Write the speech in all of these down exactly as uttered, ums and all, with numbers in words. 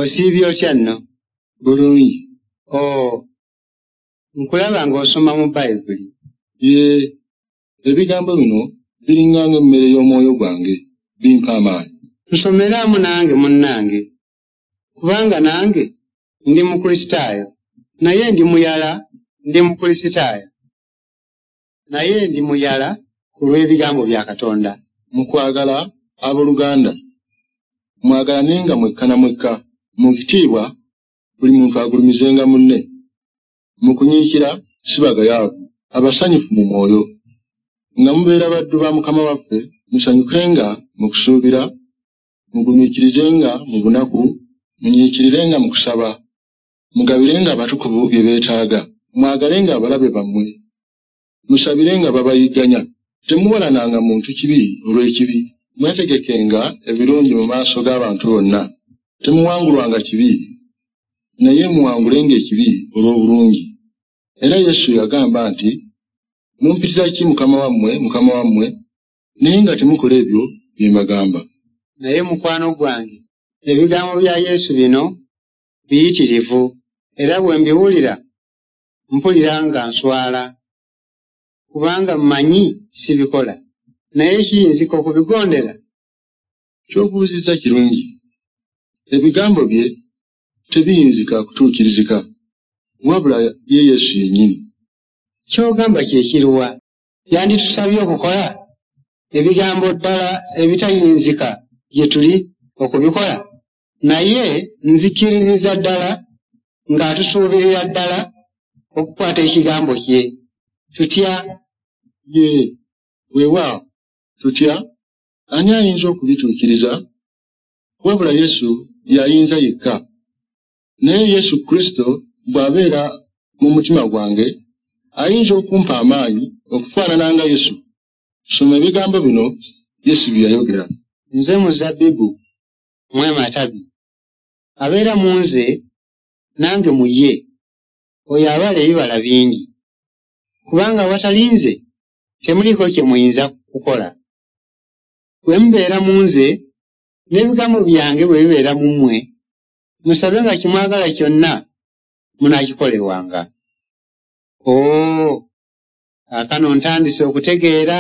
Osiibye otya nno? Bulungi. Oo, nkulaba ng'osoma mu Bayibuli. Yee, ebigambo bino biringa ng'emmere y'omwoyo gwange, bimpa amaanyi. Nsomeraamu nange munnange, kubanga nange ndi Mukulisitaayo, naye ndi muyala ndi Mukulisitaayo, naye ndi muyala ku lw'ebigambo bya Katonda. Mu kwagala abooluganda, mwagalanenga mwekka na mwekka. Mu kitiibwa buli muntu agulumizenga munne. Mu kunyiikira si bagayaavu, abasanyufu mu mwoyo. Nga mubeera baddu ba Mukama waffe, musanyukenga mu kusuubira, mugumiikirizenga mu bunaku, munyiikirirenga mu kusaba, mugabirenga abatukuvu bye beetaaga, mwagalenga abalabe bammwe, musabirenga ababayigganya. Temuwalananga muntu kibi olw'ekibi, mwetegekenga ebirungi mu maaso g'abantu bonna. Temuwangulwanga kibi, naye muwangulenga ekibi olw'obulungi. Era Yesu yagamba nti, mumpitira ki Mukama wammwe, Mukama wammwe, naye nga temukola ebyo bye mbagamba. Naye mukwano gwange, ebigambo bya Yesu bino biyitirivu, era bwe mbiwulira mpulira nga nswala, kubanga mmanyi sibikola. Naye kiyinzika okubigondera? Ky'obuuzizza kirungi. Ebigambo bye tebiyinzika kutuukirizika, wabula ye Yesu yennyini. Ky'ogamba kye kiruwa? Yanditusabye okukola ebigambo ddala ebitayinzika gye tuli okubikola, naye nzikiririza ddala ng'atusuubirira ddala okukwata ekigambo kye. Tutya? Yee, weewaawo, tutya? Ani ayinza okubituukiriza? Wabula Yesu y'ayinza yekka. Naye Yesu Kristo bw'abeera mu mutima gwange, ayinza okumpa amaanyi okufaanana nga Yesu. Soma ebigambo bino Yesu bye yayogera. Nze muzabbibu, mmwe matabi. Abeera mu nze, nange mu ye, oyo abala ebibala bingi. Kubanga awatali nze temuliiko kye muyinza kukola. Bwe mubeera mu nze, n'ebigambo byange bwe bibeera mu mmwe, musabenga kye mwagala kyonna, munaakikolerwanga. Oo, kaakano ntandise okutegeera.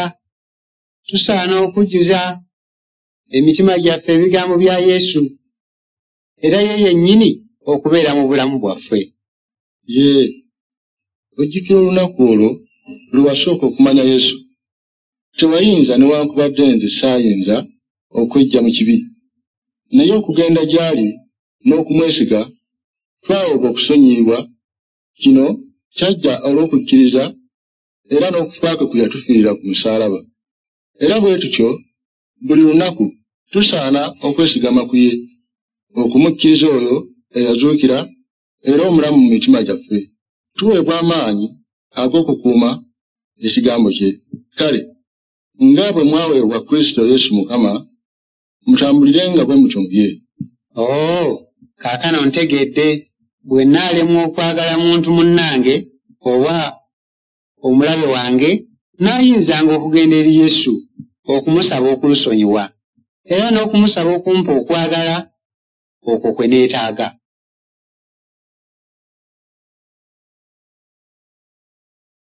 Tusaana okujjuza emitima gyaffe ebigambo bya Yesu, era ye yennyini okubeera mu bulamu bwaffe. Yee, ojjukira olunaku olwo lwe wasooka okumanya Yesu. Tewayinza newankubadde nze saayinza okweggya mu kibi. Naye okugenda gy'ali n'okumwesiga, twaweebwa okusonyiyibwa. Kino kyajja olw'okukkiriza era n'okufa kwe kwe yatufiirira ku musaalaba. Era bwe tutyo buli lunaku tusaana okwesigama ku ye, okumukkiriza oyo eyazuukira era omulamu mu mitima gyaffe. Tuweebwa amaanyi ag'okukuuma ekigambo kye. Kale nga bwe mwaweebwa Kristo Yesu Mukama, mutambulirenga bwe mutyo mu ye. Oo, kaakano ntegedde. Bwe nnaalemwa okwagala muntu munnange oba omulabe wange, nnaayinzanga okugenda eri Yesu okumusaba okunsonyiwa era n'okumusaba okumpa okwagala okwo kwe neetaaga.